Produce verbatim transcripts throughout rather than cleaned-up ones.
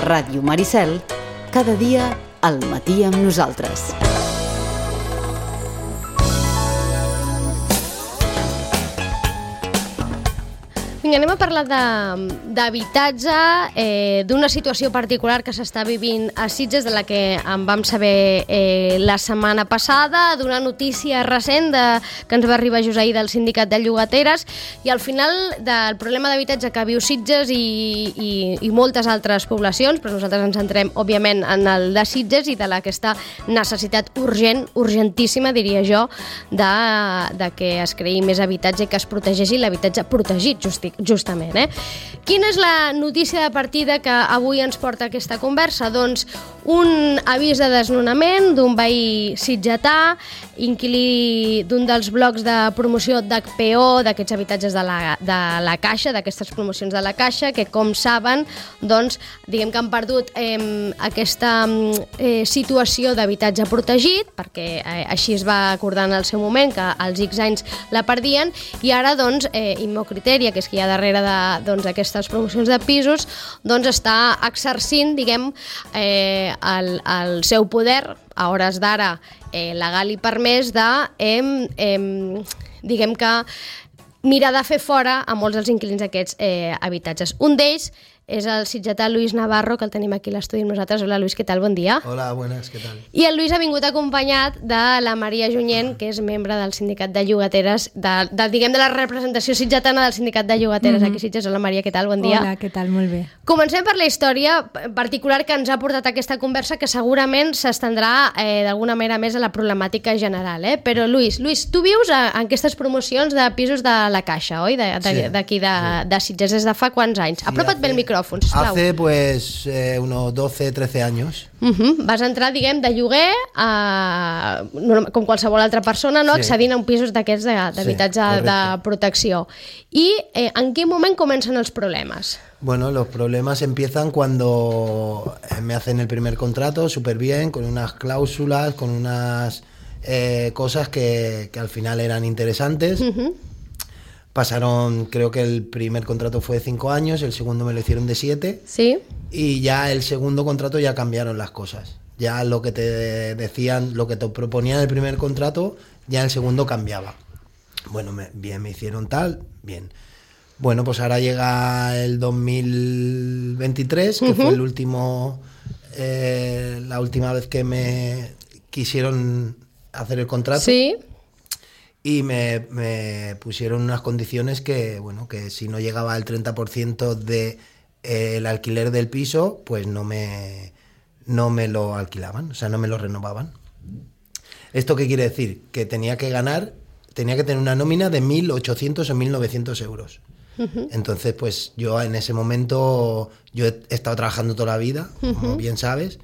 Ràdio Maricel, cada dia al matí amb nosaltres. Vinga, anem a parlar d'habitatge, eh, d'una situació particular que s'està vivint a Sitges, de la que en vam saber eh, la setmana passada, d'una notícia recent de, que ens va arribar just ahir del sindicat de llogateres, i al final del problema d'habitatge que viu Sitges i, i, i moltes altres poblacions, però nosaltres ens centrem, òbviament, en el de Sitges i de aquesta necessitat urgent, urgentíssima, diria jo, de, de que es creï més habitatge i que es protegeixi l'habitatge protegit, justic, justament. Eh? Quina és la notícia de partida que avui ens porta aquesta conversa? Doncs un avís de desnonament d'un veí sitgetà, inquilí d'un dels blocs de promoció d'H P O, d'aquests habitatges de la, de la Caixa, d'aquestes promocions de la Caixa, que com saben, doncs, diguem que han perdut eh, aquesta eh, situació d'habitatge protegit, perquè eh, així es va acordar en el seu moment, que als X anys la perdien, i ara, doncs, eh, Immocriteria, que és qui hi ha darrere d'aquestes doncs, promocions de pisos, doncs està exercint, diguem, eh, el, el seu poder, a hores d'ara, eh, legal i permès, de, eh, eh, diguem que, mirar de fer fora a molts dels inquilins d'aquests eh, habitatges. Un d'ells és el sitgetà Lluís Navarro, que el tenim aquí a l'estudi amb nosaltres. Hola, Lluís, què tal? Bon dia. Hola, buenas, què tal? I el Lluís ha vingut acompanyat de la Maria Junyent, que és membre del sindicat de llogateres, de, de, diguem, de la representació sitgetana del sindicat de llogateres mm-hmm. aquí a Sitges. Hola, Maria, què tal? Bon dia. Hola, què tal? Molt bé. Comencem per la història particular que ens ha portat a aquesta conversa, que segurament s'estendrà eh, d'alguna manera més a la problemàtica general. Eh? Però, Lluís, Lluís, tu vius a, en aquestes promocions de pisos de la Caixa, oi? D'aquí de, de, de, sí. de Sitges, des de fa quants anys? Sí, Apropa't bé el micròfon. Hace pues eh, unos doce, trece años. Uh-huh. Vas entrar, diguem, de lloguer a, com qualsevol altra persona, no? Sí. Accedint a un pisos d'aquests d'habitatge sí, de protecció. I eh, en quin moment comencen els problemes? Bueno, los problemas empiezan cuando me hacen el primer contrato súper bien, con unas cláusulas, con unas eh, cosas que, que al final eran interesantes. Uh-huh. Pasaron, creo que el primer contrato fue de cinco años, el segundo me lo hicieron de siete. Sí. Y ya el segundo contrato ya cambiaron las cosas. Ya lo que te decían, lo que te proponían el primer contrato, ya el segundo cambiaba. Bueno, me, bien, me hicieron tal, bien. Bueno, pues ahora llega el dos mil veintitrés, que uh-huh. fue el último, eh, la última vez que me quisieron hacer el contrato. Sí. Y me, me pusieron unas condiciones que, bueno, que si no llegaba al treinta por ciento del de, eh, alquiler del piso, pues no me, no me lo alquilaban, o sea, no me lo renovaban. ¿Esto qué quiere decir? Que tenía que ganar, tenía que tener una nómina de mil ochocientos o mil novecientos euros. Uh-huh. Entonces, pues yo en ese momento, yo he estado trabajando toda la vida, uh-huh. como bien sabes,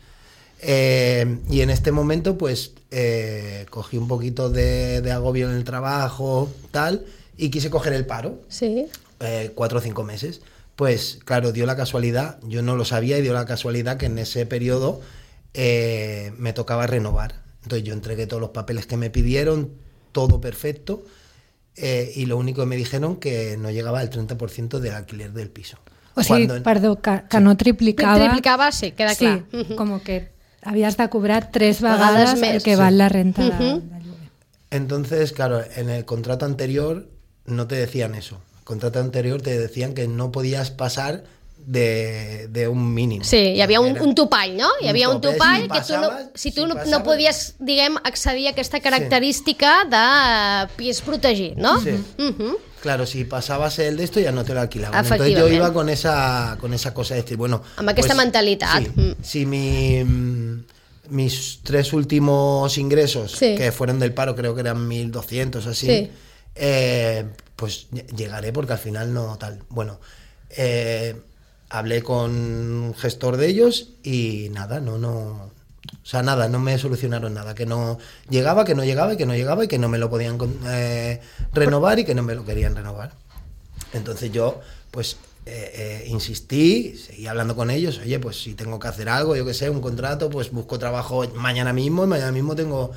eh, y en este momento, pues... Eh, cogí un poquito de, de agobio en el trabajo, tal, y quise coger el paro. Sí. Eh, cuatro o cinco meses. Pues, claro, dio la casualidad, yo no lo sabía, y dio la casualidad que en ese periodo eh, me tocaba renovar. Entonces yo entregué todos los papeles que me pidieron, todo perfecto, eh, y lo único que me dijeron que no llegaba al treinta por ciento del alquiler del piso. O sigui, Cuando... perdó, que, que sí. no triplicava... Triplicava, sí, queda sí, clar. Uh-huh. Com que... Habías de cobrar tres vegades el que val la renta uh-huh. de, de lloguer. Entonces, claro, en el contrato anterior no te decían eso. El contrato anterior te decían que no podías pasar de, de un mínimo. Sí, hi havia un, un topall, no? Hi havia un, un topall si que tu, no, si tu si no, no podies, diguem, accedir a aquesta característica sí. de pis protegit, no? Sí. Uh-huh. Claro, si pasabas el de esto ya no te lo alquilaban. Entonces yo iba con esa, con esa cosa de decir, bueno... Amb aquesta pues, mentalitat. Sí, mm. Si mi, mis tres últimos ingresos, sí. que fueron del paro, creo que eran mil doscientos, así, sí. eh, pues llegaré porque al final no tal. Bueno, eh, hablé con un gestor de ellos y nada, no, no... O sea, nada, no me solucionaron nada, que no llegaba, que no llegaba y que no llegaba y que no me lo podían eh, renovar y que no me lo querían renovar. Entonces yo, pues, eh, eh, insistí, seguí hablando con ellos, oye, pues si tengo que hacer algo, yo qué sé, un contrato, pues busco trabajo mañana mismo y mañana mismo tengo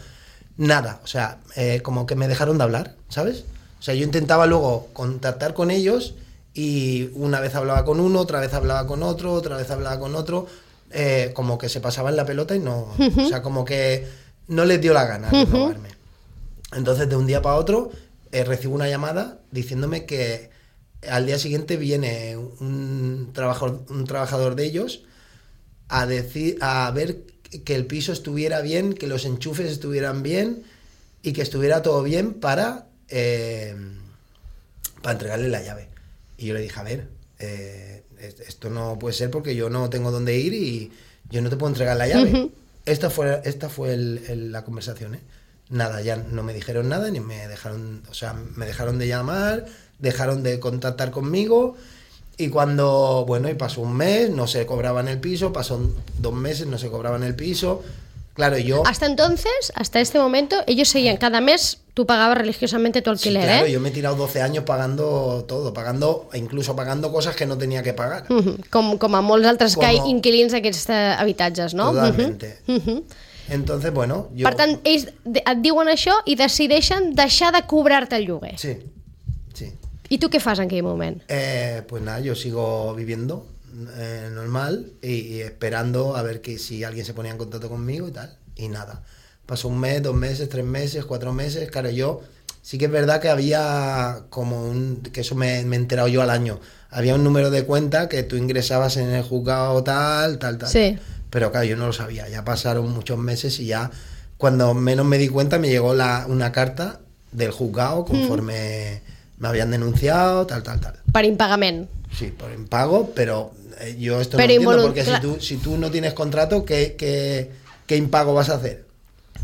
nada. O sea, eh, como que me dejaron de hablar, ¿sabes? O sea, yo intentaba luego contactar con ellos y una vez hablaba con uno, otra vez hablaba con otro, otra vez hablaba con otro... eh, como que se pasaban la pelota y no, uh-huh. o sea, como que no les dio la gana de robarme. Uh-huh. Entonces, de un día para otro, eh, recibo una llamada diciéndome que al día siguiente viene un trabajador, un trabajador de ellos a decir, a ver que el piso estuviera bien, que los enchufes estuvieran bien y que estuviera todo bien para, eh, para entregarle la llave. Y yo le dije, a ver, eh, esto no puede ser porque yo no tengo dónde ir y yo no te puedo entregar la llave. Uh-huh. Esta fue, esta fue el, el, la conversación, ¿eh? Nada, ya no me dijeron nada, ni me dejaron, o sea, me dejaron de llamar, dejaron de contactar conmigo. Y cuando, bueno, y pasó un mes, no se cobraban el piso, pasó dos meses, no se cobraban el piso. Claro, yo... Hasta entonces, hasta este momento, ellos seguían, cada mes tú pagabas religiosamente tu alquiler, sí, claro, ¿eh? Yo me he tirado doce años pagando todo, pagando, incluso pagando cosas que no tenía que pagar. Uh-huh. Com, com a molts altres com... inquilins d'aquests habitatges, no? Totalmente. Uh-huh. Uh-huh. Entonces, bueno... Jo... Per tant, ells et diuen això i decideixen deixar de cobrar-te el lloguer. Sí, sí. ¿Y tú qué haces en aquel momento? Eh, pues nada, yo sigo viviendo eh, normal y, y esperando a ver que si alguien se ponía en contacto conmigo y tal. Y nada, pasó un mes, dos meses, tres meses, cuatro meses. Claro, yo sí que es verdad que había como un... que eso me, me he enterado yo al año. Había un número de cuenta que tú ingresabas en el juzgado tal, tal, tal. Sí. Pero claro, yo no lo sabía. Ya pasaron muchos meses y ya cuando menos me di cuenta me llegó la, una carta del juzgado conforme... Mm. Me habían denunciado, tal, tal, tal. Per impagament. Sí, por impago, pero eh, yo esto pero no entiendo, involunt... porque si tú, si tú no tienes contrato, ¿qué, qué, qué impago vas a hacer?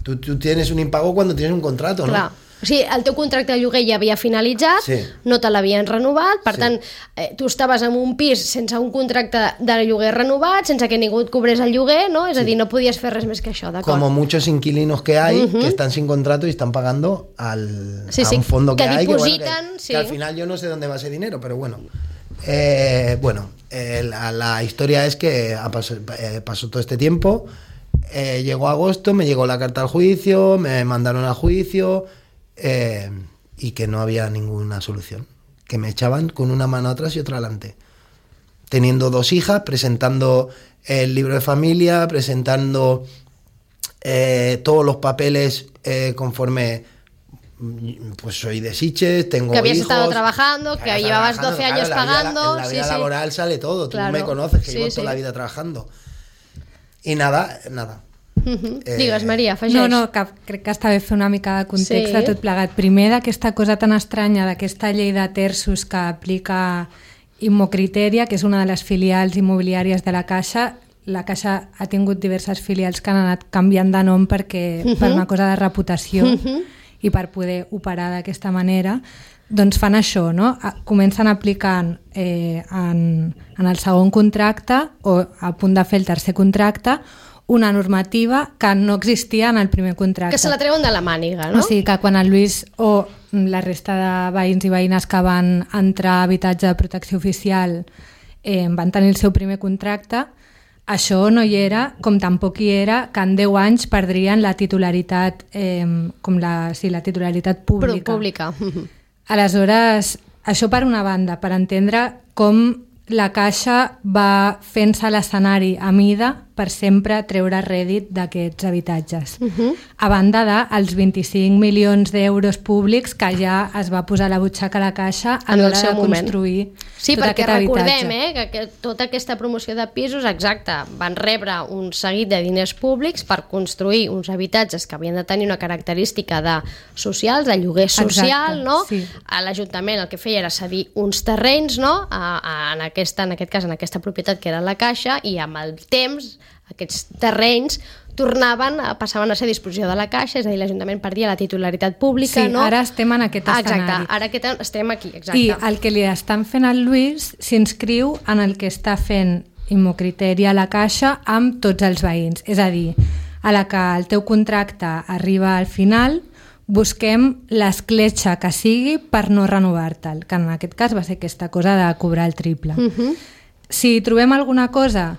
Tú, tú tienes un impago cuando tienes un contrato, ¿no? Clar. O sigui, el teu contracte de lloguer ja havia finalitzat, sí. no te l'havien renovat, per sí. tant, eh, tu estaves en un pis sense un contracte de lloguer renovat, sense que ningú et cobrés el lloguer, no? És sí. a dir, no podies fer res més que això, d'acord? Como muchos inquilinos que hay, uh-huh. que están sin contrato y están pagando al, sí, a sí. un fondo que, que hay, depositan, que, bueno, que, sí. que al final yo no sé dónde va ese dinero, pero bueno. Eh, bueno, eh, la, la historia es que pasó, eh, pasó todo este tiempo, eh, llegó agosto, me llegó la carta al juicio, me mandaron al juicio... Eh, y que no había ninguna solución, que me echaban con una mano atrás y otra adelante, teniendo dos hijas, presentando el libro de familia, presentando eh, todos los papeles eh, conforme, pues soy de Sitges, tengo que habías hijos, estado trabajando, que, que llevabas doce años claro, pagando. En la, en la vida sí, laboral sí. sale todo, tú claro. me conoces, que sí, llevo sí. toda la vida trabajando. I nada, nada. Uh-huh. Eh... Digues, Maria, afegeix. No, no, que crec que està bé fer una mica de context sí. de tot plegat. Primer, d'aquesta cosa tan estranya, d'aquesta llei de terços que aplica Immocriteria, que és una de les filials immobiliàries de la Caixa. La Caixa ha tingut diverses filials que han anat canviant de nom perquè, uh-huh. per una cosa de reputació uh-huh. i per poder operar d'aquesta manera. Doncs fan això, no? Comencen aplicant eh, en, en el segon contracte o a punt de fer el tercer contracte una normativa que no existia en el primer contracte. Que se la treuen de la màniga, no? O sigui que quan el Lluís o la resta de veïns i veïnes que van entrar a habitatge de protecció oficial eh, van tenir el seu primer contracte, això no hi era, com tampoc hi era que en deu anys perdrien la titularitat, eh, com la, sí, la titularitat pública. Pública. Aleshores, això per una banda, per entendre com la Caixa va fent-se l'escenari a mida per sempre treure rèdit d'aquests habitatges. Uh-huh. A banda dels vint-i-cinc milions d'euros públics que ja es va posar a la butxaca a la Caixa a l'hora de construir sí, tot aquest habitatge. Sí, perquè recordem recordem eh, que, que tota aquesta promoció de pisos, exacte, van rebre un seguit de diners públics per construir uns habitatges que havien de tenir una característica de socials, de lloguer social, exacte, no? Sí. A l'Ajuntament el que feia era cedir uns terrenys, no? A, a, en, aquesta, en aquest cas, en aquesta propietat que era la Caixa, i amb el temps aquests terrenys tornaven, passaven a ser a disposició de la Caixa, és a dir, l'Ajuntament perdia la titularitat pública. Sí, no? Ara estem en aquest escenari. Exacte, ara aquest, estem aquí. Exacte. I el que li estan fent al Lluís s'inscriu en el que està fent Immocriteria a la Caixa amb tots els veïns. És a dir, a la que el teu contracte arriba al final, busquem l'escletxa que sigui per no renovar-te'l, que en aquest cas va ser aquesta cosa de cobrar el triple. Uh-huh. Si trobem alguna cosa,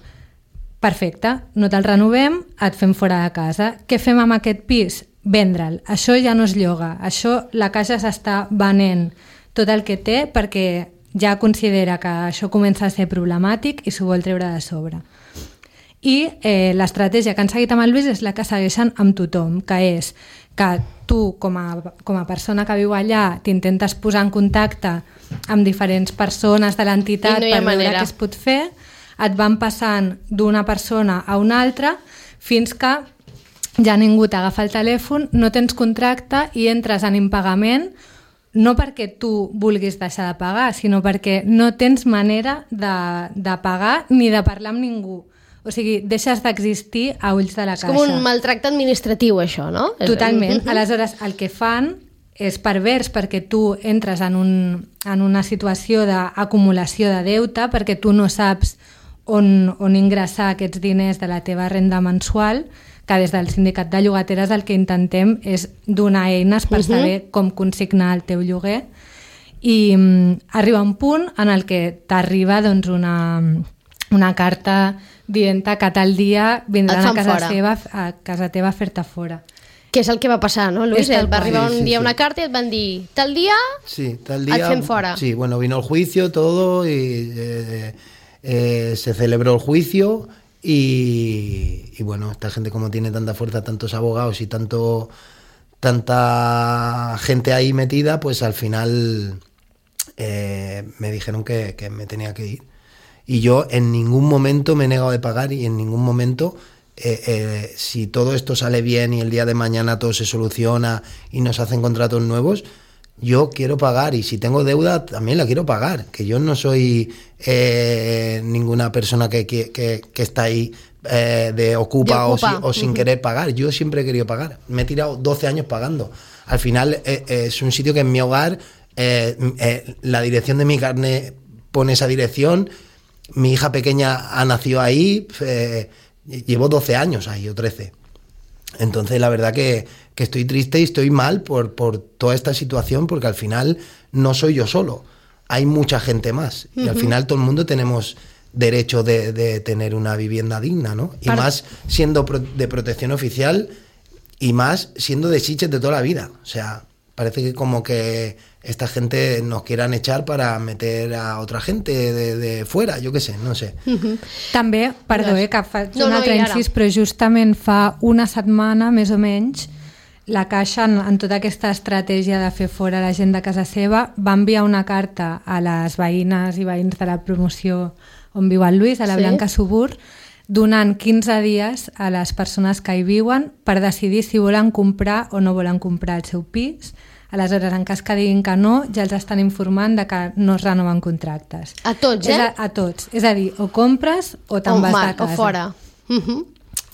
perfecte, no te'l renovem, et fem fora de casa. Què fem amb aquest pis? Vendre'l. Això ja no es lloga. Això la Caixa s'està venent tot el que té perquè ja considera que això comença a ser problemàtic i s'ho vol treure de sobre. i eh, l'estratègia que han seguit amb el Lluís és la que segueixen amb tothom, que és que tu, com a, com a persona que viu allà, t'intentes posar en contacte amb diferents persones de l'entitat no per veure què es pot fer, et van passant d'una persona a una altra fins que ja ningú t'agafa el telèfon, no tens contracte i entres en impagament, no perquè tu vulguis deixar de pagar, sinó perquè no tens manera de, de pagar ni de parlar amb ningú. O sigui, deixes d'existir a ulls de la caixa. És com un maltracte administratiu, això, no? Totalment. Aleshores, el que fan és pervers perquè tu entres en, un, en una situació d'acumulació de deute, perquè tu no saps on, on ingressar aquests diners de la teva renda mensual, que des del sindicat de llogateres el que intentem és donar eines per saber com consignar el teu lloguer, i um, arriba un punt en el que t'arriba doncs, una, una carta dient que tal dia vindran a casa, seva, a casa teva a fer-te fora. Que és el que va passar, no, Luis? Et va arribar un sí, sí, dia sí. una carta i et van dir tal dia, sí, tal dia et fem fora. Sí, bueno, vino el juicio, todo, y eh, eh, se celebró el juicio y, y bueno, esta gente como tiene tanta fuerza, tantos abogados y tanto tanta gente ahí metida, pues al final eh, me dijeron que, que me tenía que ir. Y yo en ningún momento me he negado de pagar y en ningún momento, eh, eh, si todo esto sale bien y el día de mañana todo se soluciona y nos hacen contratos nuevos, yo quiero pagar y si tengo deuda también la quiero pagar, que yo no soy eh, ninguna persona que, que, que, que está ahí eh, de ocupa, de ocupa. O, si, o sin uh-huh. querer pagar. Yo siempre he querido pagar, me he tirado doce años pagando. Al final eh, eh, es un sitio que en mi hogar eh, eh, la dirección de mi carnet pone esa dirección. Mi hija pequeña ha nacido ahí, eh, llevo doce años ahí, o trece. Entonces la verdad que, que estoy triste y estoy mal por, por toda esta situación, porque al final no soy yo solo, hay mucha gente más. Uh-huh. Y al final todo el mundo tenemos derecho de, de tener una vivienda digna, ¿no? Y Para... más siendo pro, de protección oficial y más siendo de Sitges de toda la vida. O sea, parece que como que esta gente nos quieran echar para meter a otra gente de, de fuera, jo què sé, no sé. Uh-huh. També, perdó, eh, que faig no, un altre no, incís, però justament fa una setmana, més o menys, la Caixa, en, en tota aquesta estratègia de fer fora la gent de casa seva, va enviar una carta a les veïnes i veïns de la promoció on viu el Lluís, a la sí? Blanca Subur, donant quinze dies a les persones que hi viuen per decidir si volen comprar o no volen comprar el seu pis. Aleshores, en cas que diguin que no, ja els estan informant de que no es renoven contractes. A tots, eh? A, a tots. És a dir, o compres o te'n vas de casa. O fora. Uh-huh.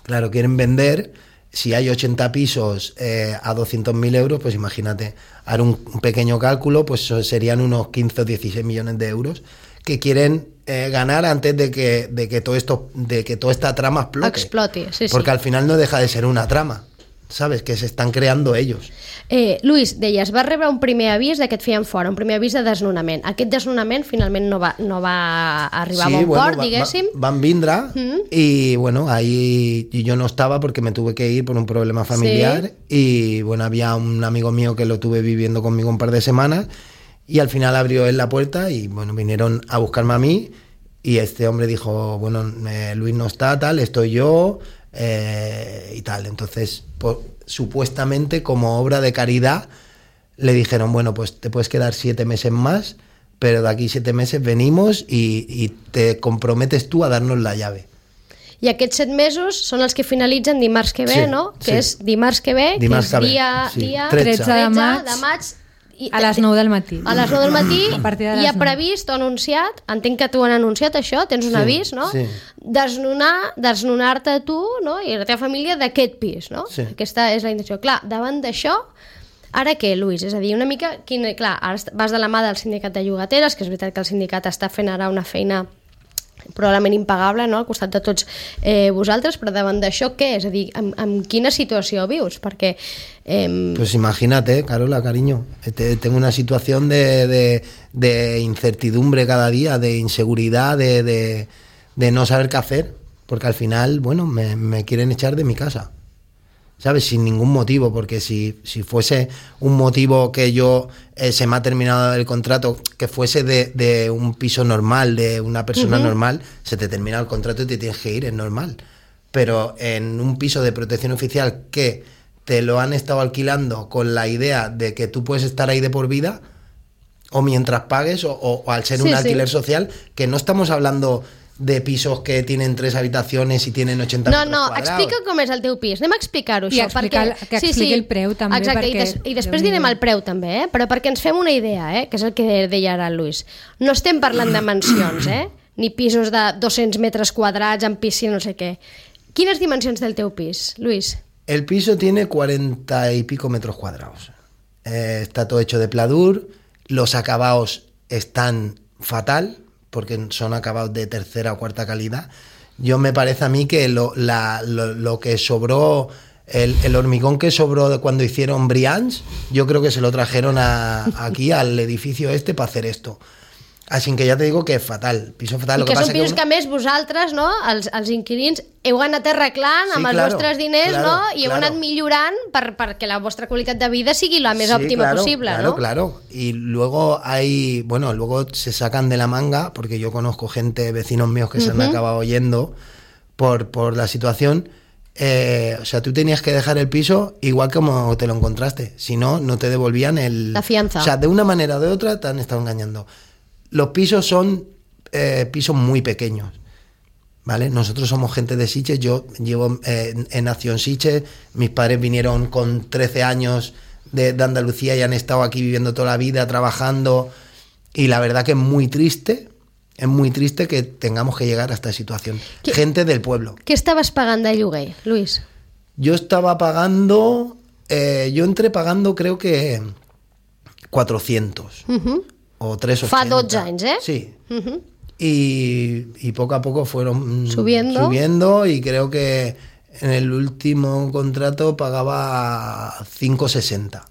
Claro, quieren vender. Si hay ochenta pisos eh, a doscientos mil euros, pues imagínate, haré un, un pequeño cálculo, pues serían unos quince o dieciséis millones de euros que quieren eh, ganar antes de que, de que todo esto, de que toda esta trama explote. Explote, sí, Porque sí. al final no deja de ser una trama, ¿sabes? Que se están creando ellos. Eh, Lluís, deies, vas rebre un primer avís de que et feien fora, un primer avís de desnonament. Aquest desnonament finalment no va, no va arribar sí, a bon bueno, port, va, diguéssim. Va, van vindre mm. y bueno, ahí yo no estaba porque me tuve que ir por un problema familiar sí. y bueno, había un amigo mío que lo tuve viviendo conmigo un par de semanas y al final abrió él la puerta y bueno, vinieron a buscarme a mí y este hombre dijo, bueno, eh, Luis no está, tal, estoy yo eh, y tal. Entonces, por, supuestamente como obra de caridad le dijeron, bueno, pues te puedes quedar siete meses más, pero de aquí siete meses venimos y, y te comprometes tú a darnos la llave. I aquests set mesos són els que finalitzen dimarts que ve, sí, no? Que sí. és dimarts que ve, dimarts que és dia, sí. dia tretze de maig, de maig i, a les nou del matí. A les nou del matí de hi ha previst o anunciat, entenc que t'ho han anunciat això, tens un sí, avís, no? Sí. Desnonar, desnonar-te tu, no? I la teva família d'aquest pis, no? Sí. Aquesta és la intenció. Clar, davant d'això, ara què, Lluís? És a dir, una mica... Quin, clar, ara vas de la mà del sindicat de llogateres, que és veritat que el sindicat està fent ara una feina probablement impagable, no?, al costat de tots eh, vosaltres, però davant d'això què? És a dir, amb, amb quina situació vius? Perquè... Eh... Pues imagínate, Carola, cariño, tengo una situación de, de, de incertidumbre cada día, de inseguridad, de, de, de no saber qué hacer, porque al final, bueno, me, me quieren echar de mi casa, ¿sabes? Sin ningún motivo, porque si, si fuese un motivo que yo eh, se me ha terminado el contrato, que fuese de, de un piso normal, de una persona uh-huh. normal, se te termina el contrato y te tienes que ir, es normal. pero en un piso de protección oficial que te lo han estado alquilando con la idea de que tú puedes estar ahí de por vida, o mientras pagues, o, o, o al ser sí, un alquiler sí. social, que no estamos hablando de pisos que tienen tres habitaciones i tenen ochenta no, metres no, quadrats. No, no, explica com és el teu pis. Anem a explicar-ho, això. I explicar, perquè... que expliqui sí, sí. el preu, també. Exacte, perquè... i, des, i després direm el preu, també, eh? Però perquè ens fem una idea, eh? Que és el que deia ara el Luis. No estem parlant de mansions, eh? Ni pisos de dos-cents metres quadrats amb piscina, no sé què. Quines dimensions del teu pis, Luis? El piso tiene cuarenta y pico metros cuadrados. Eh, está todo hecho de pladur, los acabados están fatal, porque son acabados de tercera o cuarta calidad. Yo me parece a mí que lo, la, lo, lo que sobró, el, el hormigón que sobró de cuando hicieron Brians, yo creo que se lo trajeron a, aquí al edificio este para hacer esto. Així que ja te digo que és fatal, piso fatal. I que, que són pisos que, uno... que més vosaltres, no, els, els inquilins, heu anat arreglant amb sí, els claro, vostres diners, claro, no? I heu claro. anat millorant per, perquè la vostra qualitat de vida sigui la més sí, òptima claro, possible, claro, ¿no? Claro, claro. Y luego hay, bueno, luego se sacan de la manga, porque yo conozco gente, vecinos míos que uh-huh. se han acabado yendo por, por la situación. Eh, o sea, tú tenías que dejar el piso igual como te lo encontraste, si no, no te devolvían el... La fianza. O sea, de una manera o de otra te han estado engañando. Los pisos son eh, pisos muy pequeños, ¿vale? Nosotros somos gente de Sitges, yo llevo, eh, he nacido en Sitges, mis padres vinieron con trece años de, de Andalucía y han estado aquí viviendo toda la vida, trabajando, y la verdad que es muy triste, es muy triste que tengamos que llegar a esta situación. ¿Qué, gente del pueblo. ¿Qué estabas pagando de lloguer, Luis? Yo estaba pagando, eh, yo entré pagando creo que cuatrocientos. Uh-huh. O tres ochenta. Fa dotze anys, eh? Sí. Uh-huh. y, y poco a poco fueron subiendo. subiendo y creo que en el último contrato pagaba cinco sesenta.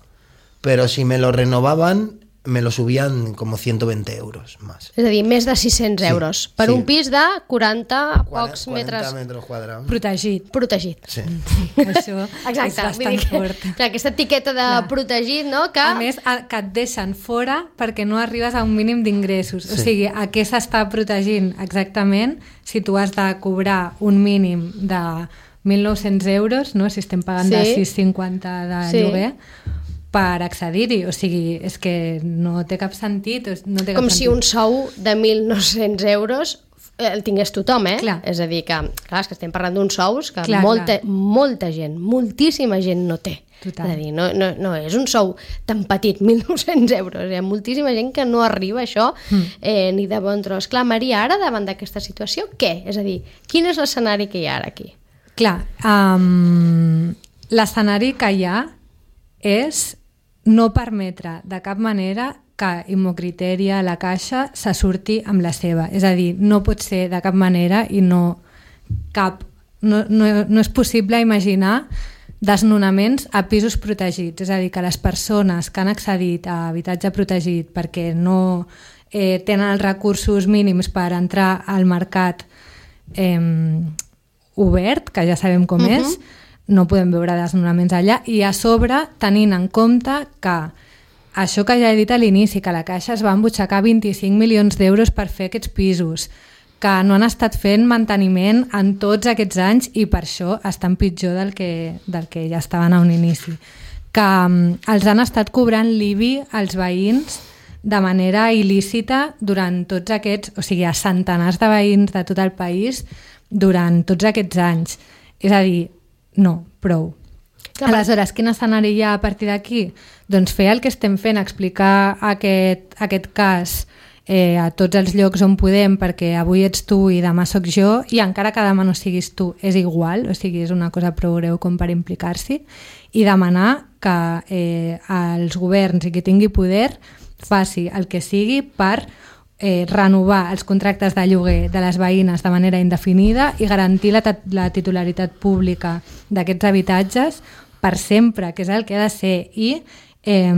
Pero si me lo renovaban, me lo subían como ciento veinte euros más. És a dir, més de sis-cents sí, euros per sí. un pis de quaranta pocs metres, metres quadrats. Protegit. Protegit. Sí. sí això exacte, és bastant que, fort. Clar, aquesta etiqueta de clar. Protegit, no? Que... A més, que et deixen fora perquè no arribes a un mínim d'ingressos. Sí. O sigui, a què s'està protegint exactament si tu has de cobrar un mínim de mil nou-cents euros, no? Si estem pagant sí. de sis cinquanta de sí. lloguer, per accedir-hi, o sigui, és que no té cap sentit. No té cap Com sentit. si un sou de mil nou-cents euros el tingués tothom, eh? Clar. És a dir, que, clar, és que estem parlant d'uns sous que clar, molta, clar. molta gent, moltíssima gent no té. Total. És a dir, no, no, no és un sou tan petit, mil nou-cents euros. Hi ha moltíssima gent que no arriba a això mm. eh, ni de bon tros. Clar, Maria, ara davant d'aquesta situació, què? És a dir, quin és l'escenari que hi ha ara aquí? Clar, um, l'escenari que hi ha és no permetre de cap manera que Immocriteria, la Caixa, se surti amb la seva. És a dir, no pot ser de cap manera i no, cap, no, no, no és possible imaginar desnonaments a pisos protegits. És a dir, que les persones que han accedit a habitatge protegit perquè no eh, tenen els recursos mínims per entrar al mercat eh, obert, que ja sabem com uh-huh. és, no podem veure desnonaments allà, i a sobre tenint en compte que això que ja he dit a l'inici, que la Caixa es va embutxacar vint-i-cinc milions d'euros per fer aquests pisos, que no han estat fent manteniment en tots aquests anys i per això estan pitjor del que, del que ja estaven a un inici, que um, els han estat cobrant l'I B I als veïns de manera il·lícita durant tots aquests, o sigui, a centenars de veïns de tot el país durant tots aquests anys. És a dir, no, prou. Clar, aleshores, quin escenari hi ha a partir d'aquí? Doncs fer el que estem fent, explicar aquest, aquest cas eh, a tots els llocs on podem, perquè avui ets tu i demà sóc jo, i encara que demà no siguis tu, és igual, o sigui, és una cosa prou greu com per implicar-s'hi, i demanar que eh, els governs i qui tingui poder faci el que sigui per Eh, renovar els contractes de lloguer de les veïnes de manera indefinida i garantir la, la titularitat pública d'aquests habitatges per sempre, que és el que ha de ser. I eh,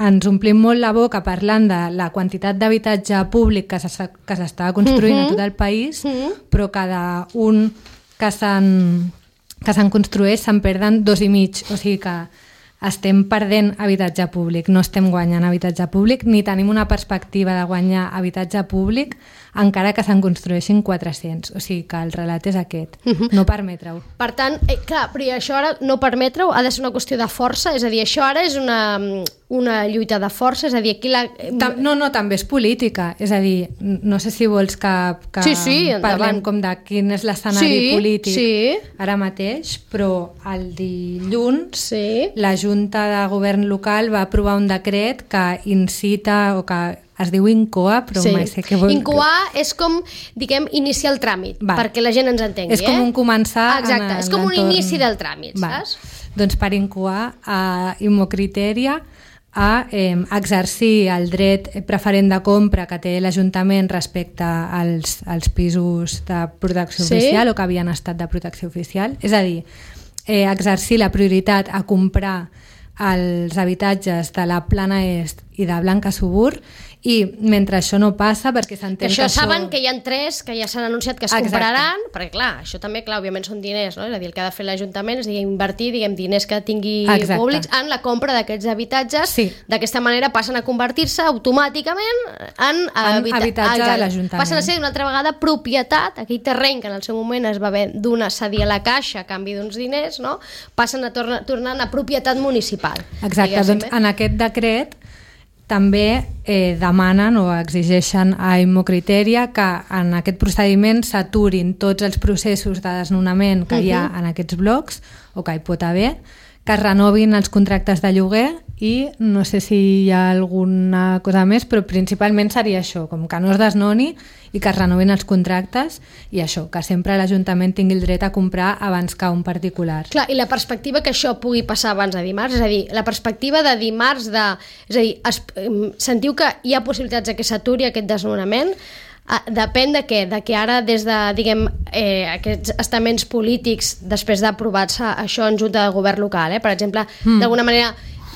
ens omplim molt la boca parlant de la quantitat d'habitatge públic que s'està construint uh-huh. a tot el país, uh-huh. però cada un que se'n que se'n construeix se'n perden dos i mig, o sigui que estem perdent habitatge públic, no estem guanyant habitatge públic, ni tenim una perspectiva de guanyar habitatge públic encara que se'n construeixin quatre-cents. O sigui que el relat és aquest, uh-huh. no permetre-ho. Per tant, eh, clar, però això ara no permetre-ho ha de ser una qüestió de força, és a dir, això ara és una, una lluita de força, és a dir, aquí la... No, no, també és política, és a dir, no sé si vols que, que sí, sí, parlem com de quin és l'escenari sí, polític sí. ara mateix, però el dilluns sí. la Junta de Govern local va aprovar un decret que incita o que es diu incoar, però sí. mai sé què vol dir. Incoar és com, diguem, iniciar el tràmit, Va. perquè la gent ens entengui. És com un començar eh? Exacte, en és com un l'entorn. inici del tràmit, Va. saps? Doncs per incoar a Immocriteria a eh, exercir el dret preferent de compra que té l'Ajuntament respecte als, als pisos de protecció sí. oficial o que havien estat de protecció oficial. És a dir, eh, exercir la prioritat a comprar els habitatges de la Plana Est i de Blanca Subur, i mentre això no passa, perquè s'entén que això... això... saben que hi ha tres que ja s'han anunciat que es Exacte. compraran, perquè clar, això també, clar, òbviament són diners, no? És a dir, el que ha de fer l'Ajuntament és diguem, invertir diguem, diners que tingui Exacte. públics en la compra d'aquests habitatges, sí. d'aquesta manera passen a convertir-se automàticament en, en habita... habitatge de l'Ajuntament. Passen a ser una altra vegada propietat, aquell terreny que en el seu moment es va haver d'una cedir a la Caixa a canvi d'uns diners, no? Passen a tornar, tornant a propietat municipal. Exacte, doncs en aquest decret també eh, demanen o exigeixen a Immocriteria que en aquest procediment s'aturin tots els processos de desnonament que uh-huh. hi ha en aquests blocs o que hi pot haver, que es renovin els contractes de lloguer i no sé si hi ha alguna cosa més, però principalment seria això, com que no es desnoni i que es renovin els contractes i això, que sempre l'Ajuntament tingui el dret a comprar abans que un particular. Clar, i la perspectiva que això pugui passar abans de dimarts, és a dir, la perspectiva de dimarts de... És a dir, es, sentiu que hi ha possibilitats que s'aturi aquest desnonament? Uh, depèn de què? De que ara des de, diguem, eh, aquests estaments polítics, després d'aprovar-se això en Junta de Govern local, eh, per exemple, mm. d'alguna manera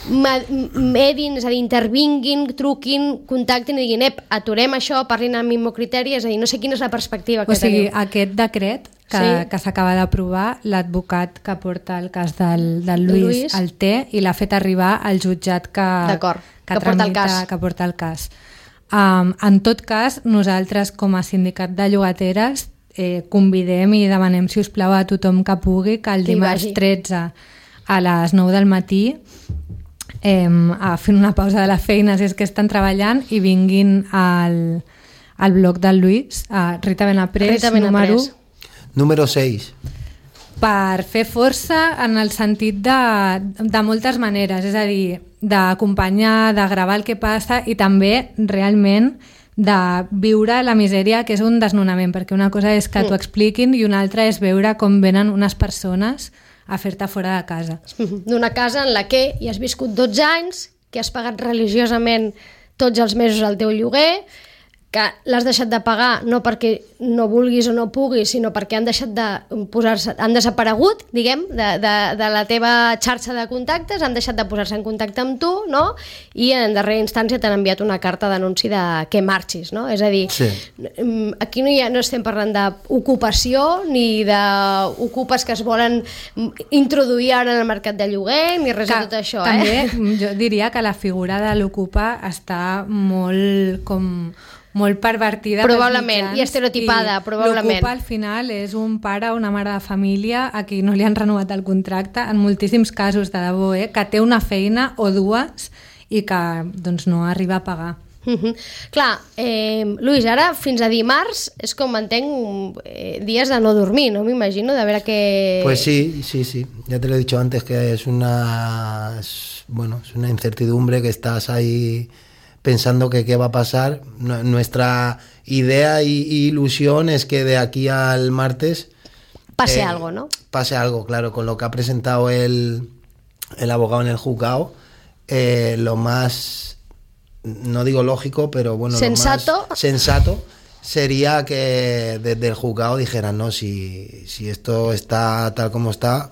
medin, és a dir, intervinguin, truquin, contactin i diguin, ep, aturem això, parlin amb Immocriteria, és a dir, no sé quina és la perspectiva que o sigui, teniu. Aquest decret que, sí. que s'acaba d'aprovar, l'advocat que porta el cas del, del Lluís, Lluís el té i l'ha fet arribar al jutjat que, que, que, tramita, porta el cas. que porta el cas. Um, en tot cas, nosaltres com a sindicat de llogateres eh, convidem i demanem, si us plau, a tothom que pugui que el dimarts tretze a les nou del matí eh, a fer una pausa de la feina si és que estan treballant i vinguin al, al bloc del Lluís, a Rita Benaprés, Rita Benaprés. número número seis, per fer força en el sentit de, de moltes maneres, és a dir, d'acompanyar, de gravar el que passa i també realment de viure la misèria que és un desnonament, perquè una cosa és que t'ho expliquin i una altra és veure com venen unes persones a fer-te fora de casa. D'una casa en la que hi has viscut dotze anys, que has pagat religiosament tots els mesos el teu lloguer, que l'has deixat de pagar no perquè no vulguis o no puguis, sinó perquè han deixat de posar-se, han desaparegut, diguem, de, de, de la teva xarxa de contactes, han deixat de posar-se en contacte amb tu, no? I en darrera instància t'han enviat una carta d'anunci de que marxis, no? És a dir, sí. aquí no, hi ha, no estem parlant d'ocupació ni d'ocupes que es volen introduir ara en el mercat de lloguer, ni res que, de tot això. També eh? jo diria que la figura de l'ocupa està molt com... molt pervertida probablement, i estereotipada, i probablement. L'ocupa al final és un pare o una mare de família a qui no li han renovat el contracte en moltíssims casos, de debò, eh? Que té una feina o dues i que doncs, no arriba a pagar. Uh-huh. Clar, eh, Luis, ara fins a dimarts és com entenc eh, dies de no dormir, no m'imagino, de veure que... Pues sí, sí, sí, ya te lo he dicho antes que es una, es, bueno, es una incertidumbre que estás ahí pensando que qué va a pasar. Nuestra idea y, y ilusión es que de aquí al martes pase eh, algo, ¿no? Pase algo, claro, con lo que ha presentado el, el abogado en el juzgado, eh, lo más, no digo lógico, pero bueno, sensato, lo más sensato sería que desde el juzgado dijeran, no, si, si esto está tal como está,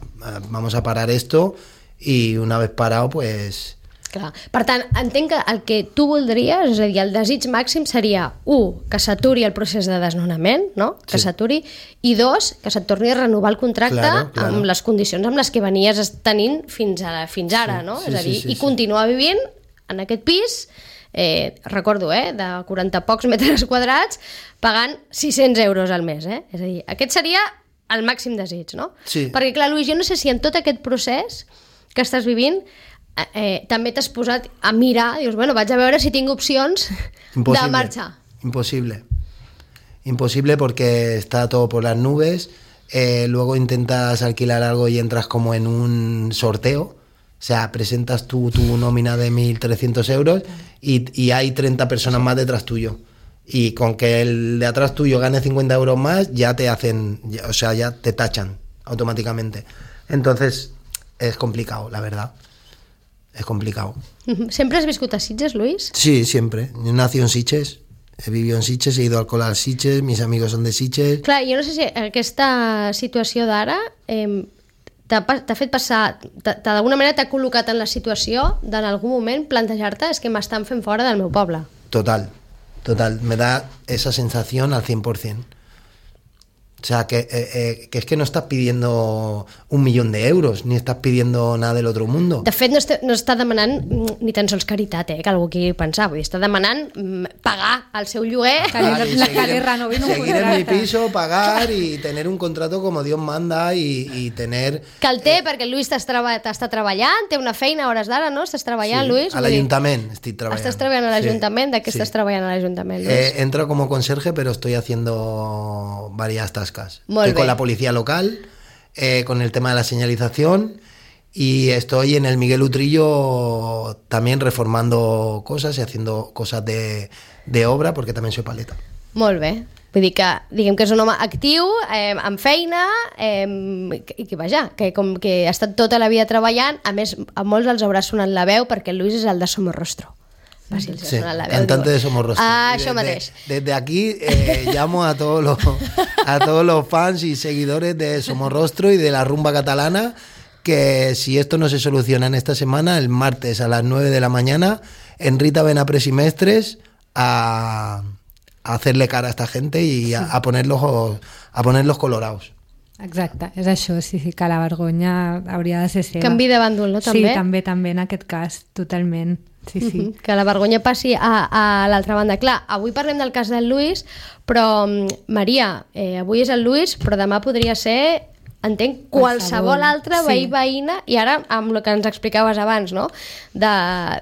vamos a parar esto y una vez parado, pues... Clar. Per tant, entenc que el que tu voldries, és a dir, el desig màxim seria, un, que s'aturi el procés de desnonament, no? Que Sí. s'aturi, i dos, que se't torni a renovar el contracte Claro, claro. amb les condicions amb les que venies tenint fins ara, fins ara, Sí, no? sí, és a dir, sí, sí, i sí. continuar vivint en aquest pis, eh, recordo, eh, de quaranta pocs metres quadrats, pagant sis-cents euros al mes, eh? És a dir, aquest seria el màxim desig, no? Sí. Perquè, clar, Lluís, jo no sé si en tot aquest procés que estàs vivint eh, eh, també t'has posat a mirar, dius, bueno, vaig a veure si tinc opcions Imposible. de marxar. Imposible. Imposible porque está todo por las nubes. Eh, luego intentas alquilar algo y entras como en un sorteo. O sea, presentas tu, tu nómina de mil trescientos euros y, y hay treinta personas más detrás tuyo. Y con que el de atrás tuyo gane cincuenta euros más, ya te hacen, ya- o sea, ya te tachan automáticamente. Entonces, es complicado, la verdad. Es complicado. Sempre has viscut a Sitges, Lluís? Sí, siempre. Yo nací en Sitges, he vivido en Sitges, he ido al col·le a Sitges, mis amigos son de Sitges. Clar, jo no sé si aquesta situació d'ara eh, t'ha pa- t'ha fet passar, t'ha- t'ha- d'alguna manera t'ha col·locat en la situació d'en algun moment plantejar-te és que m'estan fent fora del meu poble. Total, total. Me da esa sensación al cien por ciento. O sea, que, eh, eh, que es que no estás pidiendo un millón de euros, ni estás pidiendo nada del otro mundo. De fet, no està, no està demanant mm, ni tan sols caritat, eh, que algú qui pensar. Vull dir, està demanant mm, pagar el seu lloguer. Pagar y La seguir, calera no vino un seguir en mi contrato. piso, pagar y tener un contrato como Dios manda y, y tener... Que el té, perquè el Lluís t'està treba, treballant, té una feina a hores d'ara, no? Estàs treballant, Sí, Lluís? a Vull dir, l'Ajuntament estic treballant. Estàs treballant a l'Ajuntament? Sí, De què sí. estàs treballant a l'Ajuntament, Lluís? Eh, entro como conserje, pero estoy haciendo varias tascas. Molt Estoy con bé. la policía local, eh, con el tema de la señalización y estoy en el Miguel Utrillo también reformando cosas y haciendo cosas de, de obra porque también soy paleta. Molt bé. Vull dir que, diguem que és un home actiu, eh, amb feina, eh, i que, vaja, que com que ha estat tota la vida treballant, a més, a molts els haurà sonat la veu perquè el Lluís és el de Somorrostro. Va, si els ha Sí, sonat la veu, cantante diu, de Somorrostro. Ah, Y això desde, mateix. desde aquí eh, llamo a todos los a todos los fans y seguidores de Somorrostro y de la rumba catalana que si esto no se soluciona en esta semana, el martes a las nueve de la mañana en Rita Benapres y Mestres a, a hacerle cara a esta gente y a, a ponerlos a ponerlos colorados. Exacte, és això, sí, sí, que la vergonya hauria de ser seva. Canvi de bàndol, no, també? Sí, també, també, en aquest cas, totalment. Sí, sí. Mhm, que la vergonya passi a, a l'altra banda. Clar, avui parlem del cas del Lluís, però, mm, Maria, eh, avui és el Lluís, però demà podria ser, entenc, qualsevol Qualsevol, altre sí. veí, veïna, i ara, amb el que ens explicaves abans, no?, de,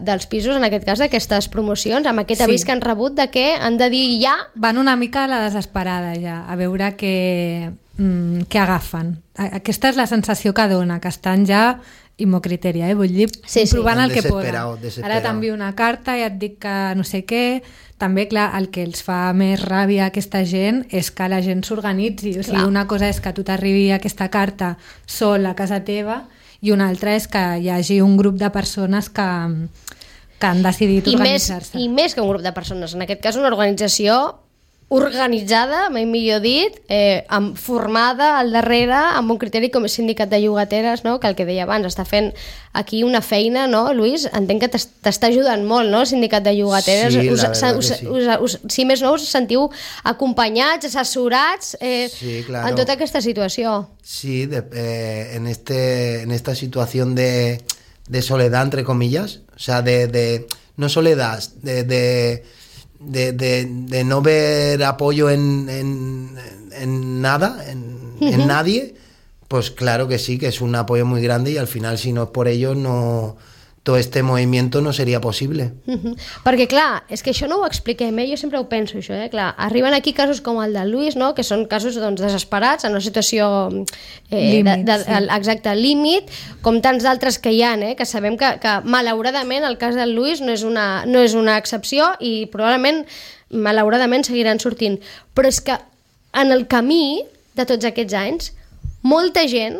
dels pisos, en aquest cas, d'aquestes promocions, amb aquest Sí. avís que han rebut de que han de dir ja... Van una mica a la desesperada ja, a veure què, mm, què agafen. A- Aquesta és la sensació que dona, que estan ja imocriteria, eh? Vull dir, Sí, sí. provant el que Desesperado, poden. desesperado. Ara t'envio una carta i et dic que no sé què. També, clar, el que els fa més ràbia a aquesta gent és que la gent s'organitzi. O sigui, Clar. una cosa és que a tu t'arribi aquesta carta sol a casa teva i una altra és que hi hagi un grup de persones que, que han decidit I més, organitzar-se. I més que un grup de persones, en aquest cas una organització organitzada, mai millor dit, eh, amb, formada al darrere, amb un criteri com el sindicat de llogateres, no?, que el que deia abans, està fent aquí una feina, no, Lluís? Entenc que t'es- t'està ajudant molt, no?, el sindicat de llogateres. Sí, la us, verdad us, que sí. us, us, si més no, us sentiu acompanyats, assessorats eh, Sí, claro. en tota aquesta situació. Sí, de- eh, en, este, en esta situación de, de soledad, entre comillas, o sea, de, de no soledad, de, de, de, de, de no ver apoyo en, en, en nada, en, en nadie, pues claro que sí, que es un apoyo muy grande y al final, si no es por ellos, no, todo este movimiento no sería posible. Mhm. Perquè, clar, és que això no ho expliquem, eh? Jo sempre ho penso, això, eh? Clar, arriben aquí casos com el de Lluís, no?, que són casos, doncs, desesperats, en una situació eh, Límit, de, de, sí. exacte, límit, com tants d'altres que hi ha, eh? Que sabem que, que malauradament el cas del Lluís no és, una, no és una excepció i probablement, malauradament, seguiran sortint. Però és que en el camí de tots aquests anys, molta gent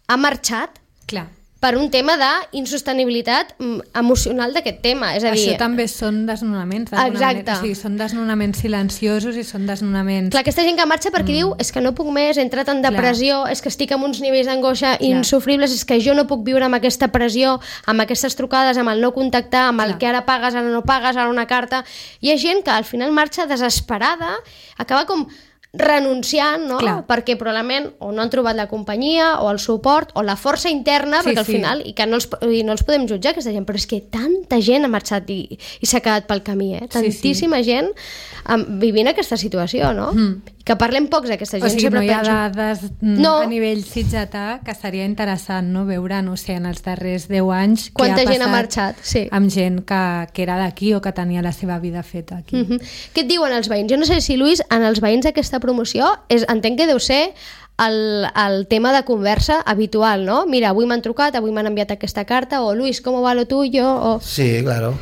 ha marxat Clar. per un tema d'insostenibilitat emocional d'aquest tema. És a dir, això també són desnonaments. Exacte. O sigui, són desnonaments silenciosos i són desnonaments... Clar, aquesta gent que marxa perquè mm. diu és que no puc més, he entrat en depressió, Clar. és que estic amb uns nivells d'angoixa insufribles, és que jo no puc viure amb aquesta pressió, amb aquestes trucades, amb el no contactar, amb el Clar. que ara pagues, ara no pagues, ara una carta... Hi ha gent que al final marxa desesperada, acaba com renunciant, no? Clar. Perquè probablement o no han trobat la companyia o el suport o la força interna, sí, perquè al sí. final i que no els, i no els podem jutjar aquesta gent, però és que tanta gent ha marxat i, i s'ha quedat pel camí, eh? Tantíssima sí, sí. gent um, vivint aquesta situació, no? Mm. I que parlem pocs d'aquesta gent. O sigui, no hi ha penso... dades no. a nivell sitgetà, que seria interessant, no?, veure, no sé, en els darrers deu anys quanta què ha gent ha marxat, sí. amb gent que, que era d'aquí o que tenia la seva vida feta aquí. Mm-hmm. Què et diuen els veïns? Jo no sé si, Lluís, en els veïns d'aquesta promoció és, entenc que deu ser el, el tema de conversa habitual, ¿no? Mira, avui m'han trucat, avui m'han enviat aquesta carta, o Luis, ¿cómo va lo tuyo? O... Sí, claro.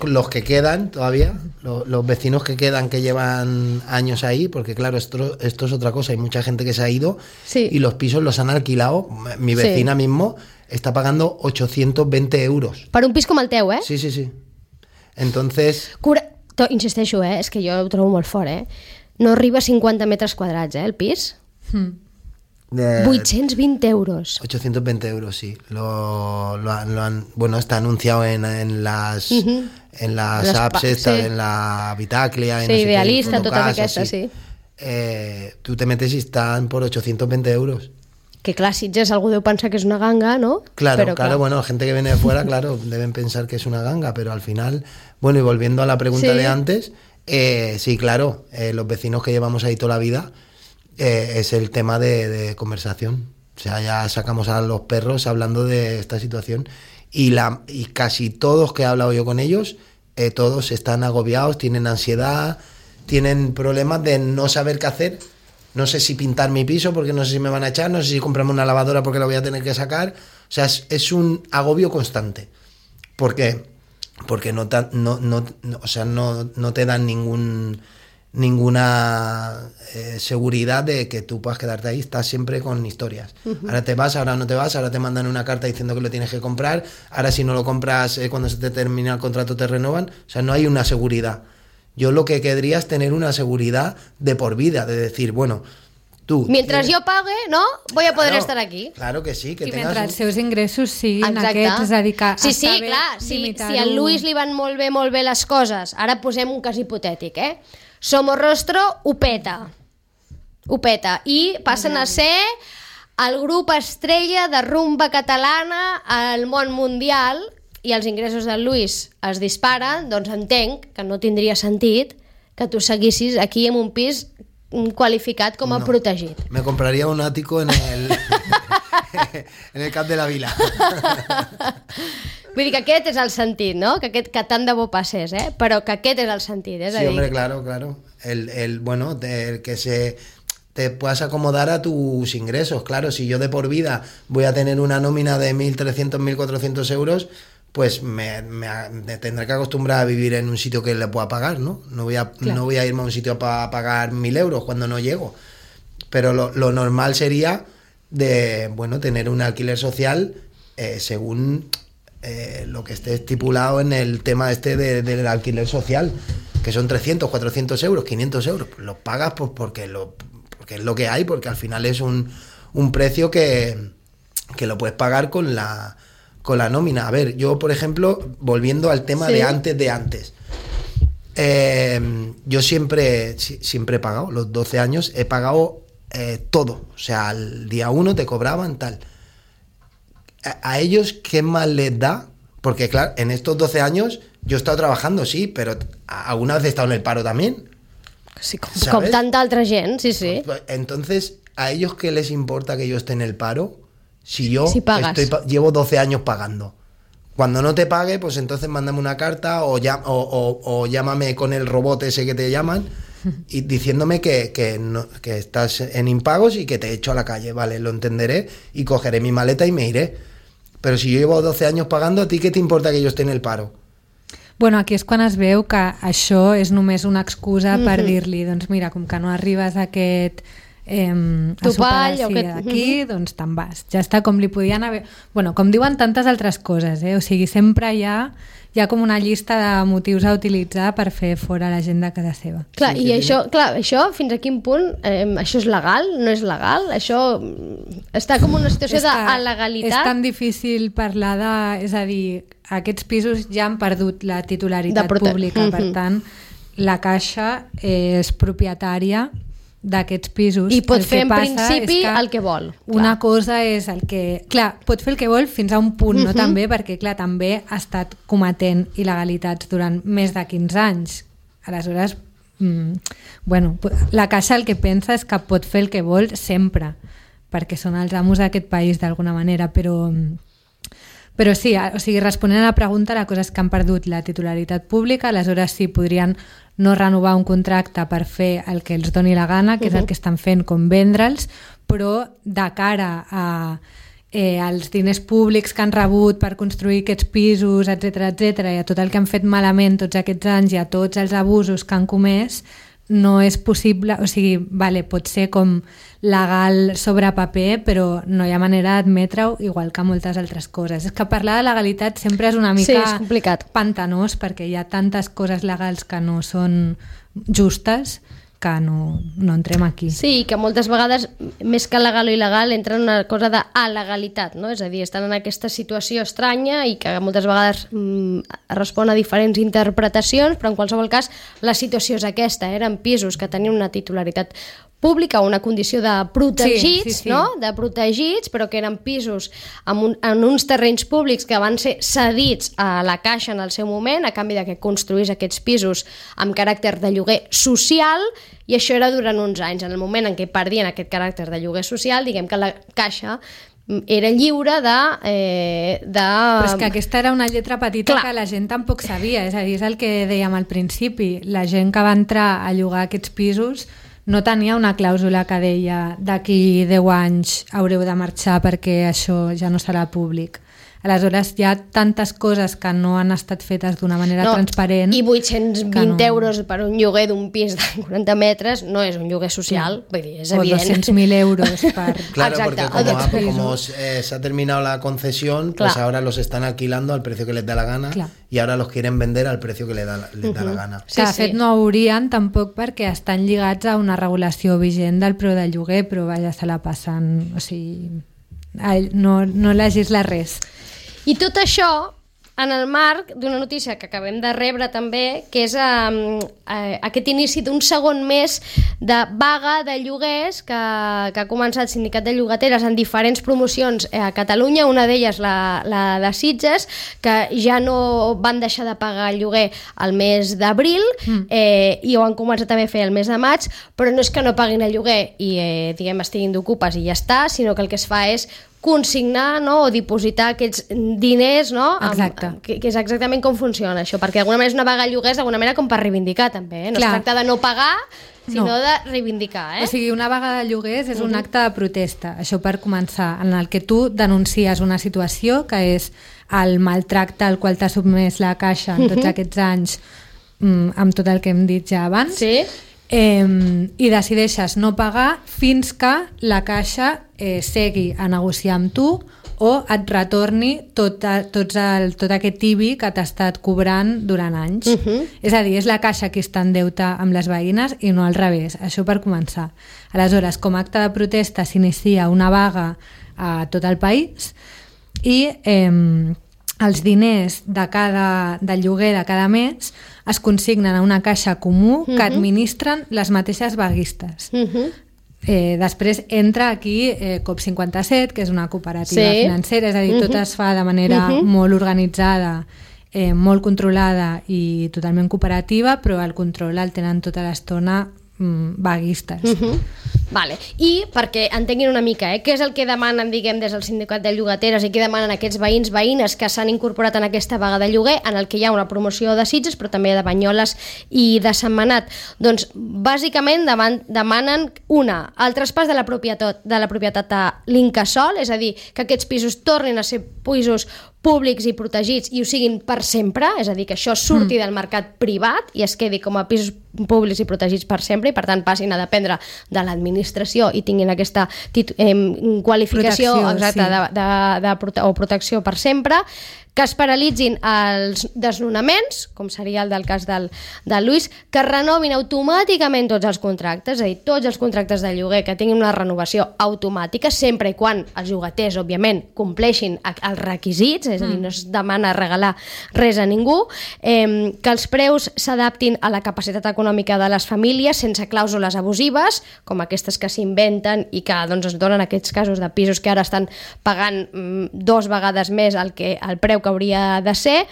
Los que quedan todavía, los, los vecinos que quedan, que llevan años ahí, porque claro, esto, esto es otra cosa, hay mucha gente que se ha ido sí. y los pisos los han alquilado. Mi vecina sí. mismo está pagando ochocientos veinte euros. Per un pis com el teu, eh? Sí, sí, sí. Entonces... Cura... Insisteixo, eh? És que jo ho trobo molt fort, eh? No arriba a cincuenta metres quadrats, eh, el pis? Hmm. De... ochocientos veinte euros. ochocientos veinte euros, sí. Lo, lo, han, lo han, bueno, está anunciado en, en las, uh-huh. en las, las apps, estas, sí. en la Bitaclia, en sí, no sé Idealista, qué, totes aquestes, sí. sí. Eh, tú te metes y están por ochocientos veinte euros. Que clar, Sitges algú deu pensar que és una ganga, ¿no? Claro, pero, claro, bueno, la gente que viene de fuera, claro, deben pensar que es una ganga, pero al final, bueno, y volviendo a la pregunta sí. de antes, eh, sí, claro, eh, los vecinos que llevamos ahí toda la vida, eh, es el tema de, de conversación. O sea, ya sacamos a los perros hablando de esta situación y, la, y casi todos que he hablado yo con ellos, eh, todos están agobiados, tienen ansiedad, tienen problemas de no saber qué hacer. No sé si pintar mi piso porque no sé si me van a echar, no sé si comprarme una lavadora porque la voy a tener que sacar. O sea, es, es un agobio constante. ¿Por qué? Porque no, ta, no, no, no, o sea, no, no te dan ningún, ninguna eh, seguridad de que tú puedas quedarte ahí. Estás siempre con historias. Uh-huh. Ahora te vas, ahora no te vas, ahora te mandan una carta diciendo que lo tienes que comprar. Ahora si no lo compras, eh, cuando se te termina el contrato te renovan. O sea, no hay una seguridad. Yo lo que querría es tener una seguridad de por vida, de decir, bueno, tú... Mientras tienes... yo pague, ¿no? Voy a poder claro, estar aquí. Claro que sí. Que I mentre els seus ingressos siguin Exacte. aquests, és a dir, que sí, sí, està bé clar, si, si al Luis li van molt bé, molt bé les coses, ara posem un cas hipotètic, eh? Somorrostro ho peta. Ho peta. I passen a ser el grup estrella de rumba catalana al món mundial i els ingressos del Luis es disparen, doncs entenc que no tindria sentit que tu seguissis aquí en un pis qualificat com a no, protegit. Me compraria un ático en el, en el Cap de la Vila. Vull dir que aquest és el sentit, no? Que, aquest, que tant de bo passés, eh? Però que aquest és el sentit. És sí, a dir... hombre, claro, claro. El, el, bueno, el que se... te puedas acomodar a tus ingresos. Claro, si yo de por vida voy a tener una nómina de mil trescientos, mil cuatrocientos euros, pues me, me, me tendré que acostumbrar a vivir en un sitio que le pueda pagar, ¿no? No voy a, claro. no voy a irme a un sitio para pagar mil euros cuando no llego. Pero lo, lo normal sería de, bueno, tener un alquiler social eh, según eh, lo que esté estipulado en el tema este de, del alquiler social, que son trescientos, cuatrocientos euros, quinientos euros. Pues los pagas pues porque, lo, porque es lo que hay, porque al final es un, un precio que, que lo puedes pagar con la... con la nómina. A ver, yo por ejemplo, volviendo al tema sí. de antes de antes, eh, yo siempre siempre he pagado, los doce años he pagado eh, todo, o sea, al día uno te cobraban tal. A, a ellos, ¿qué más les da? Porque claro, en estos doce años yo he estado trabajando, sí, pero alguna vez he estado en el paro también. Sí, com, com tanta altra gent, sí, sí. Entonces, ¿a ellos qué les importa que yo esté en el paro? Si yo si estoy, llevo doce años pagando. Cuando no te pague, pues entonces mándame una carta o, ya, o, o, o llámame con el robot ese que te llaman y diciéndome que, que, no, que estás en impagos y que te echo a la calle. Vale, lo entenderé y cogeré mi maleta y me iré. Pero si yo llevo doce años pagando, ¿a ti qué te importa que yo esté en el paro? Bueno, aquí és quan es veu que això és només una excusa mm-hmm. per dir-li, doncs mira, com que no arribes a aquest... eh, a Topall, sopar o que... d'aquí, uh-huh. doncs te'n vas. Ja està, com li podien haver... Bueno, com diuen tantes altres coses, eh? O sigui, sempre hi ha, hi ha com una llista de motius a utilitzar per fer fora la gent de casa seva. Clar, Sí, i que això, clar, això fins a quin punt, eh, això és legal, no és legal? Això està com una situació És que d'alegalitat? És tan difícil parlar de... És a dir, aquests pisos ja han perdut la titularitat De prote- pública, per Mhm. tant, la Caixa és propietària d'aquests pisos. I pot El fer que en passa principi és que el que vol. Una Clar. cosa és el que... Clar, pot fer el que vol fins a un punt, no? Mhm. També, perquè, clar, també ha estat cometent il·legalitats durant més de quinze anys. Aleshores, mm, bueno, la Caixa el que pensa és que pot fer el que vol sempre, perquè són els amos d'aquest país d'alguna manera, però... Però sí, o sigui, responent a la pregunta, la cosa és que han perdut la titularitat pública, aleshores sí podrien no renovar un contracte per fer el que els doni la gana, que uh-huh. és el que estan fent, com vendre'ls, però de cara a eh, als diners públics que han rebut per construir aquests pisos, etcètera, etcètera, i a tot el que han fet malament tots aquests anys i a tots els abusos que han comès, no és possible, o sigui, vale, pot ser com legal sobre paper, però no hi ha manera d'admetre-ho, igual que moltes altres coses. És que parlar de legalitat sempre és una mica Sí, és complicat. pantanós, perquè hi ha tantes coses legals que no són justes que no, no entrem aquí. Sí, que moltes vegades, més que legal o il·legal, entra en una cosa d'alegalitat, no? És a dir, estan en aquesta situació estranya i que moltes vegades mm, respon a diferents interpretacions, però en qualsevol cas la situació és aquesta, eren pisos que tenien una titularitat pública, una condició de protegits, Sí, sí, sí. no? De protegits, però que eren pisos en, un, en uns terrenys públics que van ser cedits a la Caixa en el seu moment, a canvi de que construís aquests pisos amb caràcter de lloguer social, i això era durant uns anys. En el moment en què perdien aquest caràcter de lloguer social, diguem que la Caixa era lliure de... Eh, de... Però és que aquesta era una lletra petita Clar. que la gent tampoc sabia, és a dir, és el que dèiem al principi, la gent que va entrar a llogar aquests pisos no tenia una clàusula que deia d'aquí deu anys haureu de marxar perquè això ja no serà públic. Aleshores hi ha tantes coses que no han estat fetes d'una manera No, transparent. I vuit-cents vint no. euros per un lloguer d'un pis de quaranta metres no és un lloguer social, vull dir, és o evident. doscientos mil euros per... Claro, Exacte, porque o como, de ha- piso. como eh, se ha terminado la concesión, pues Claro. ahora los están alquilando al precio que les da la gana Claro. y ahora los quieren vender al precio que les da, les da la gana. Sí, que de sí. fet no haurien tampoc perquè estan lligats a una regulació vigent del preu del lloguer, però vaja, se la passen, o sigui, ai, no, no legisla res. I tot això en el marc d'una notícia que acabem de rebre també, que és eh, eh, aquest inici d'un segon mes de vaga de lloguers que, que ha començat el Sindicat de Llogateres en diferents promocions a Catalunya, una d'elles la, la de Sitges, que ja no van deixar de pagar el lloguer al mes d'abril mm. eh, i ho han començat també a fer el mes de maig, però no és que no paguin el lloguer i eh, diguem estiguin d'ocupes i ja està, sinó que el que es fa és consignar, no, o dipositar aquests diners, no? Exacte. Amb, que, que és exactament com funciona això, perquè d'alguna manera és una vaga de lloguers d'alguna manera com per reivindicar també, eh? No Clar. es tracta de no pagar, sinó No. de reivindicar, eh? O sigui, una vaga de lloguers és un acte de protesta, això per començar, en el que tu denuncies una situació que és el maltracte al qual t'ha sotmès la Caixa en tots aquests anys, mm, amb tot el que hem dit ja abans, Sí? eh, i decideixes no pagar fins que la Caixa eh, segui a negociar amb tu o et retorni tot, a, tots el, tot aquest I B I que t'ha estat cobrant durant anys. Uh -huh. És a dir, és la Caixa qui està en deute amb les veïnes i no al revés, això per començar. Aleshores, com a acte de protesta s'inicia una vaga a tot el país i eh, els diners de cada, del lloguer de cada mes es consignen a una caixa comú que administren les mateixes vaguistes. Uh -huh. Eh, després entra aquí eh, COP cinquanta-set, que és una cooperativa Sí. financera, és a dir, Uh-huh. tot es fa de manera Uh-huh. molt organitzada, eh, molt controlada i totalment cooperativa, però el control el tenen tota l'estona mm, vaguistes. Uh -huh. Vale. I perquè entenguin una mica, eh, què és el que demanen, diguem, des del Sindicat de Llogateres i què demanen aquests veïns, veïnes que s'han incorporat en aquesta vaga de lloguer, en el que hi ha una promoció de Sitges, però també de Banyoles i de Sentmenat. Doncs, bàsicament, deman demanen, una, el traspàs de la propietat, de la propietat a l'Incasòl, és a dir, que aquests pisos tornin a ser pisos públics i protegits i ho siguin per sempre, és a dir, que això surti mm. del mercat privat i es quedi com a pisos públics i protegits per sempre i per tant passin a dependre de l'administració i tinguin aquesta eh, qualificació protecció, exacta sí. de, de, de prote o protecció per sempre, que es paralitzin els desnonaments, com seria el del cas del, del Lluís, que es renovin automàticament tots els contractes, és a dir, tots els contractes de lloguer que tinguin una renovació automàtica, sempre i quan els llogaters, òbviament, compleixin els requisits, és a dir, no es demana regalar res a ningú, eh, que els preus s'adaptin a la capacitat econòmica de les famílies sense clàusules abusives, com aquestes que s'inventen i que doncs, es donen aquests casos de pisos que ara estan pagant mm, dos vegades més el, que, el preu que hauria de ser,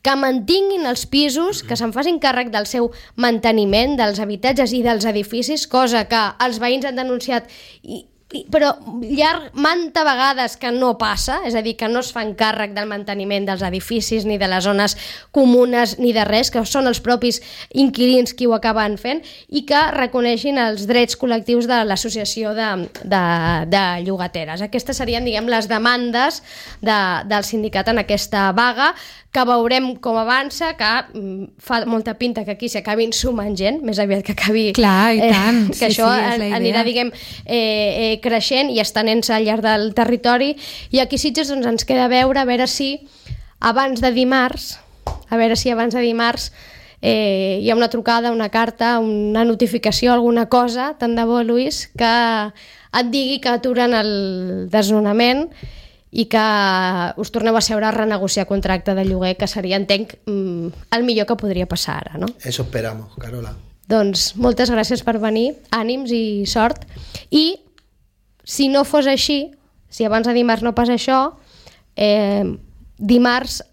que mantinguin els pisos, que se'n facin càrrec del seu manteniment, dels habitatges i dels edificis, cosa que els veïns han denunciat i però llarg, manta vegades que no passa, és a dir, que no es fan càrrec del manteniment dels edificis ni de les zones comunes ni de res, que són els propis inquilins qui ho acaben fent i que reconeixin els drets col·lectius de l'associació de, de, de llogateres. Aquestes serien, diguem, les demandes de, del sindicat en aquesta vaga, que veurem com avança, que mm, fa molta pinta que aquí s'acabin sumant gent, més aviat que acabi... Clar, i tant. Eh, que sí, això sí, anirà, diguem, eh, eh, creixent i estenent-se al llarg del territori. I aquí a Sitges doncs, ens queda veure, a veure si abans de dimarts, a veure si abans de dimarts eh, hi ha una trucada, una carta, una notificació, alguna cosa, tant de bo, Lluís, que et digui que aturen el desnonament i que us torneu a seure a renegociar contracte de lloguer, que seria, entenc, el millor que podria passar ara, no? Eso esperamos, Carola. Doncs moltes gràcies per venir, ànims i sort. I si no fos així, si abans de dimarts no passa això, eh, dimarts,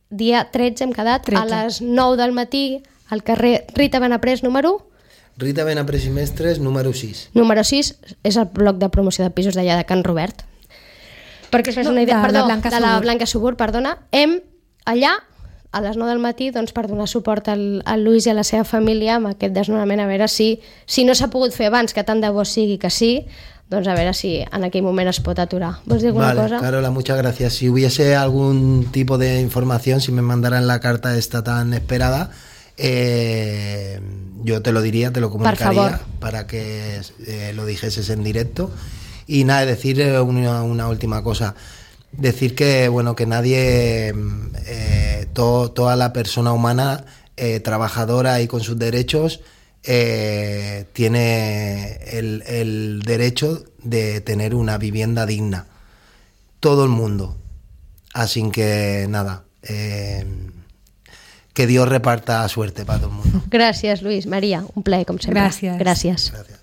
dia tretze, hem quedat, tretze. A les nou del matí, al carrer Rita Benaprés, número... Rita Benaprés i Mestres, número sis. Número sis és el bloc de promoció de pisos d'allà de Can Robert. Perquè es fes no, una idea, de, perdó, de, Blanca de la Blanca Subur, perdona, hem allà a les nou del matí doncs, per donar suport al, al Lluís i a la seva família amb aquest desnonament, a veure si, si no s'ha pogut fer abans, que tant de bo sigui que sí, doncs a veure si en aquell moment es pot aturar. ¿Vols dir alguna vale, cosa? Carola, muchas gracias. Si hubiese algún tipo de información, si me mandaran la carta esta tan esperada, eh, yo te lo diría, te lo comunicaría para que eh, lo dijeses en directo. Y nada, decir una, una última cosa, decir que bueno que nadie, eh, to, toda la persona humana eh, trabajadora y con sus derechos eh, tiene el, el derecho de tener una vivienda digna, todo el mundo. Así que nada, eh, que Dios reparta suerte para todo el mundo. Gràcies, Lluís. Maria, un plaer, com sempre. Gràcies. Gràcies. Gracias.